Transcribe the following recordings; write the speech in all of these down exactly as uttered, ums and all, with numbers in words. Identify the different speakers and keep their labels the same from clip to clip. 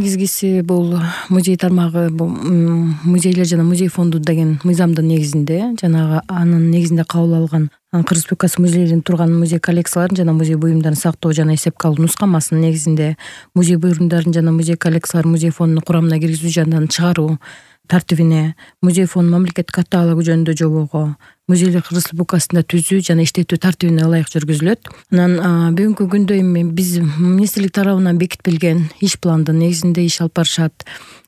Speaker 1: негизгиси бул музей тармагы, бул музейлер жана музей фонду деген мыйзамдын негизинде, жанагы анын негизинде кабыл алган Кыргыз Республикасы музейлеринде турган музей коллекцияларын жана музей буюмдарын сактоо жана эсепке алуу нускамасынын негизинде музей буюмдарын жана музей коллекцияларын музей фондунун курамына киргизүү жана чыгаруу тартибине, музей фонд мамлекеттик каталогу жөнүндө жобого, музейлер Кыргыз Республикасында түзүү жана иштетүү тартибине ылайык жүргүзүлөт. Анан бүгүнкү күндө эми биз министрлик тарабынан бекитилген иш пландын негизинде иш алып барышат.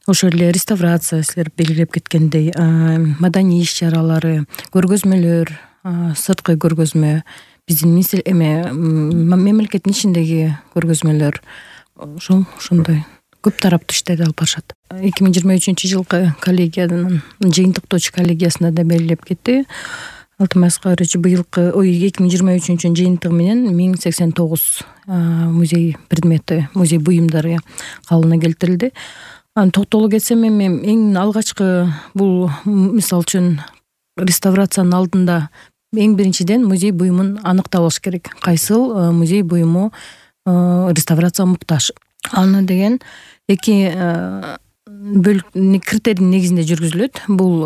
Speaker 1: Ошол эле реставрация, силер белгилеп кеткендей, маданий иш чаралары, көргөзмөлөр, сырткы көргөзмө, биздин министр эме мамлекеттин ичиндеги көргөзмөлөр, ошол ошондой көп тараптуу иштерди алып барышат. эки миң жыйырма үчүнчү жылкы коллегиянын жыйынтыктоочу коллегиясында да белгилеп кетти. Алтынбай Аскарович быйылкы ой эки миң жыйырма үчүнчү жыйынтыгы менен миң сексен тогуз музей предмети, музей буюмдары кабылына келтирилди. Анан токтоло кетсем, эми эң алгачкы бул мисалы үчүн реставрациянын алдында эң биринчиден музей буюмун аныктап алыш керек. Кайсыл музей буюму реставрацияга муктаж. Аны деген эки критерийдин негизинде жүргүзүлөт. Бул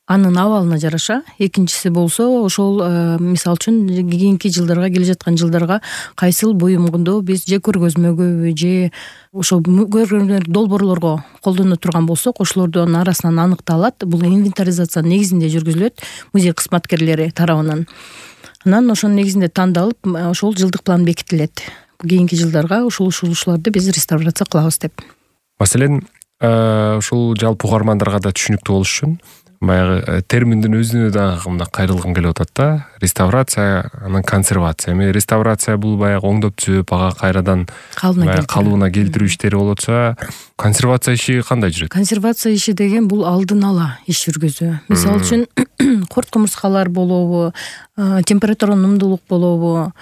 Speaker 1: анын абалына жараша. Экинчиси болсо ошол мисалы үчүн кийинки жылдарга, келе жаткан жылдарга кайсыл буюмду биз же көргөзмөгө же ошол көргөзмө долбоорлорго колдоно турган болсок, ошолордун арасынан аныкталат. Бул инвентаризация негизинде жүргүзүлөт музей кызматкерлери тарабынан. Анан ошонун негизинде тандалып, ошол жылдык план бекитилет. Кийинки жылдарга ушул ушуларды биз реставрация кылабыз деп.
Speaker 2: Маселен, ушул жалпы угармандарга да түшүнүктүү болуш үчүн баягы терминдин өзүнө да мындай кайрылгым келип атат да. Реставрация, анан консервация. Эми реставрация бул баягы оңдоп түзөп, ага кайрадан калыбына келтирүү иштери болот болсо, консервация иши кандай жүрөт?
Speaker 1: Консервация иши деген бул алдын ала иш жүргүзүү. Мисалы үчүн корт кумурскалар болобу, температура нумдуулук болобу,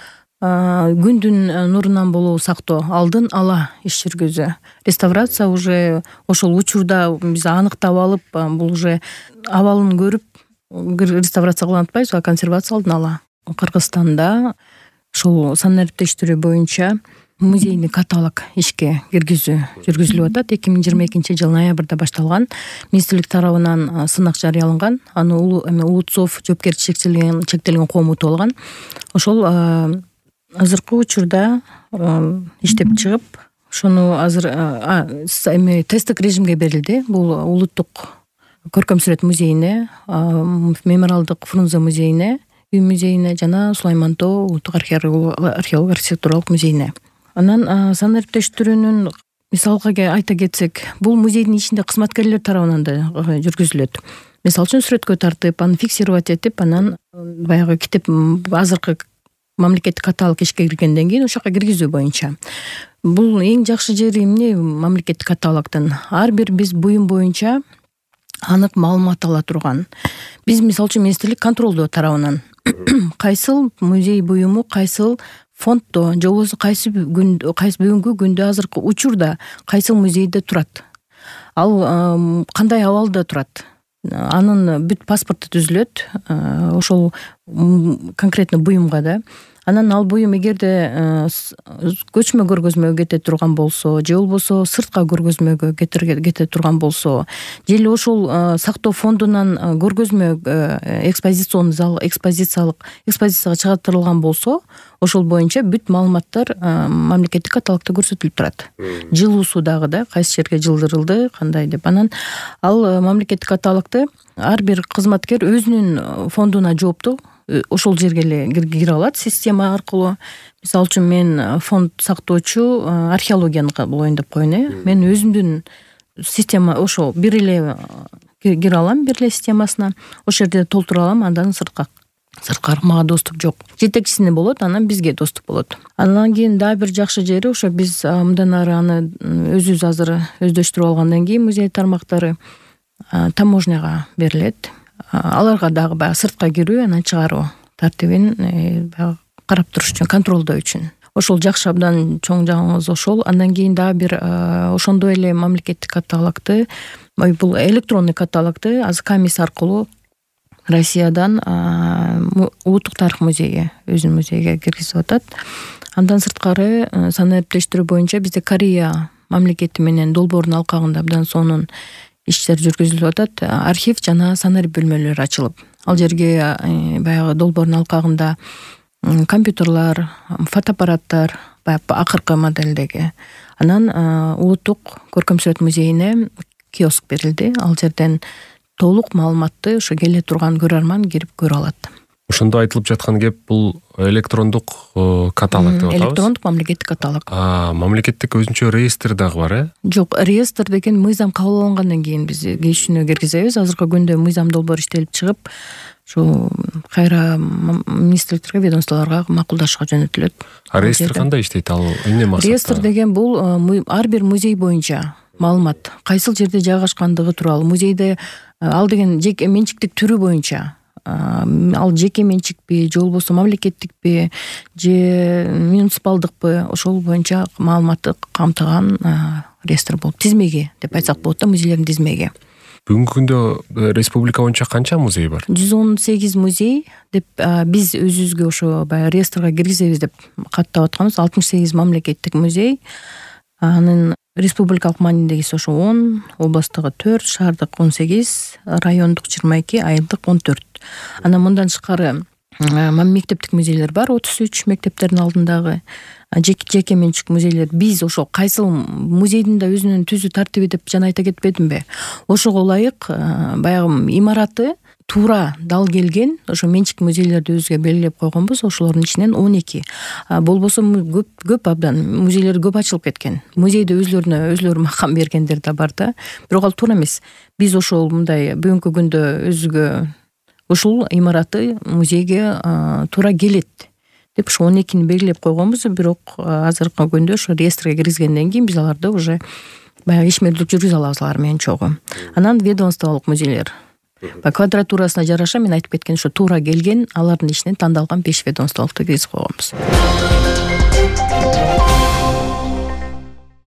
Speaker 1: күндүн нурунан болобу сактоо, алдын ала иш жүргүзүү. Реставрация уже ошол учурда биз аныктап алып, бул уже абалын көрүп реставрация кылып атпайбыз, а консервация алдын ала. Кыргызстанда ошол санариптештирүү боюнча музейный каталог ишке киргизүү жүргүзүлүп атат. эки миң жыйырма экинчи жыл ноябрда башталган. Министрлик тарабынан сынак жарыяланган. Аны Улутсов жоопкерчилиги чектелген коомуту болгон. Ошол азыркы учурда иштеп чыгып, ошону азыр эми тесттик режимге берилди. Бул улуттук көркөм сүрөт музейине, мемориалдык Фрунзе музейине, үй музейине жана Сулайман Тоо улуттук археологиялык архитектуралык музейине. Анан санариптештирүүнүн мисалга айта кетсек, бул музейдин ичинде кызматкерлер тарабынан да жүргүзүлөт. Мисалы үчүн сүрөткө тартып, аны фиксировать этип, анан баягы китеп азыркы мамлекеттик каталог ишке киргенден кийин ошол жака киргизүү боюнча. Бул эң жакшы жери эмне мамлекеттик каталогдон? Ар бир биз буюм боюнча анык маалымат ала турган. Биз мисалы үчүн министрлик контролдоо тарабынан кайсыл музей буюму кайсыл фонддо же болбосо кайсы күн кайсы бүгүнкү күндө азыркы учурда кайсыл музейде турат, ал кандай абалда турат, анын бүт паспорту түзүлөт ошол конкретно буюмга да. Анан ал буюм эгерде көчмө көргөзмөгө кете турган болсо, же болбосо сыртка көргөзмөгө кете турган болсо, же эле ошол сактоо фондунан көргөзмө экспозиционный зал, экспозициялык экспозицияга чыгартылган болсо, ошол боюнча бүт маалыматтар мамлекеттик каталогдо көрсөтүлүп турат. Жылуусу дагы да кайсы жерге жылдырылды, кандай деп. Анан ал мамлекеттик каталогду ар бир кызматкер өзүнүн фондуна жооптуу ошол жерге эле кире алат система аркылуу. Мисалы үчүн мен фонд сактоочу археологияны болоюн деп коеюн э. Мен өзүмдүн система ошол бир эле кире алам, бир эле системасына. Ошол жерде толтура алам, андан сыртка сырткары мага доступ жок. Жетекчисине болот, анан бизге доступ болот. Андан кийин дагы бир жакшы жери ошо биз мындан ары аны өзүбүз азыр өздөштүрүп алгандан кийин музей тармактары таможняга берилет. Аларга дагы баягы сыртка кирүү, анан чыгаруу тартибин баягы карап туруш үчүн, контролдоо үчүн. Ошол жакшы абдан чоң жагыбыз ошол. Андан кийин дагы бир ошондой эле мамлекеттик каталогду, бул электронный каталогду Азкамис аркылуу Россиядан улуттук тарых музейи өзүнүн музейге киргизип атат. Андан сырткары санариптештирүү боюнча бизде Корея мамлекети менен долбоордун алкагында абдан сонун иштер жүргүзүлүп атат. Архив жана санарип бөлмөлөрү ачылып, ал жерге баягы долбоордун алкагында компьютерлар, фотоаппараттар, баягы акыркы модельдеги. Анан улуттук көркөм сүрөт музейине киоск берилди. Ал жерден толук маалыматты ошо келе турган көрөрман кирип көрө алат.
Speaker 2: Ошондо айтылып жаткан кеп бул электрондук каталог деп атабыз.
Speaker 1: Электрондук мамлекеттик каталог.
Speaker 2: Мамлекеттик өзүнчө реестр дагы бар, э?
Speaker 1: Жок, реестр деген мыйзам кабыл алынгандан кийин биз кечүүнү киргизебиз. Азыркы күндө мыйзам долбоор иштелип чыгып, ушу кайра министрликтерге, ведомстволорго макулдашууга жөнөтүлөт.
Speaker 2: А реестр кандай иштейт? Ал эмне максатта?
Speaker 1: Реестр деген бул ар бир музей боюнча маалымат, кайсыл жерде жайгашкандыгы тууралуу, музейде ал деген жеке менчиктик түрү боюнча, ал жеке менчикпи же болбосо мамлекеттикпи же муниципалдыкпы, ошол боюнча маалыматты камтыган реестр болуп, тизмеги деп айтсак болот да, музейлердин тизмеги.
Speaker 2: Бүгүнкү күндө республика боюнча канча музей бар?
Speaker 1: жүз он сегиз музей деп биз өзүбүзгө ошо баягы реестрге киргизебиз деп каттап атканбыз. алтымыш сегиз мамлекеттик музей, анын республикалык маанидегиси ошо он, областтагы төрт, шаардык он сегиз, райондук жыйырма эки, айылдык он төрт. Анан мындан тышкары мектептик музейлер бар, отуз үч мектептердин алдындагы жеке менчик музейлер. Биз ошо кайсыл музейдин да өзүнүн түзүү тартиби деп жана айта кетпедимби? Ошого ылайык баягы имараты туура дал келген ошо менчик музейлерди өзүгө белгилеп койгонбуз. Ошолордун ичинен он эки. Болбосо көп көп абдан музейлер көп ачылып кеткен. Музейде өзлөрүнө өзлөрү макам бергендер да бар да. Бирок ал туура эмес. Биз ошол мындай бүгүнкү күндө өзүгө ушул имараты музейге туура келет деп ошо он экини белгилеп койгонбуз. Бирок азыркы күндө ошо реестрге киргизгенден кийин биз аларды уже баягы ишмердүүлүк жүргүзө алабыз алар менен чогуу. Анан ведомстволук музейлер. Квадратурасына жараша мен айтып кеткен ошо туура келген алардын ичинен тандалган беш ведомстволукту киргизип койгонбуз.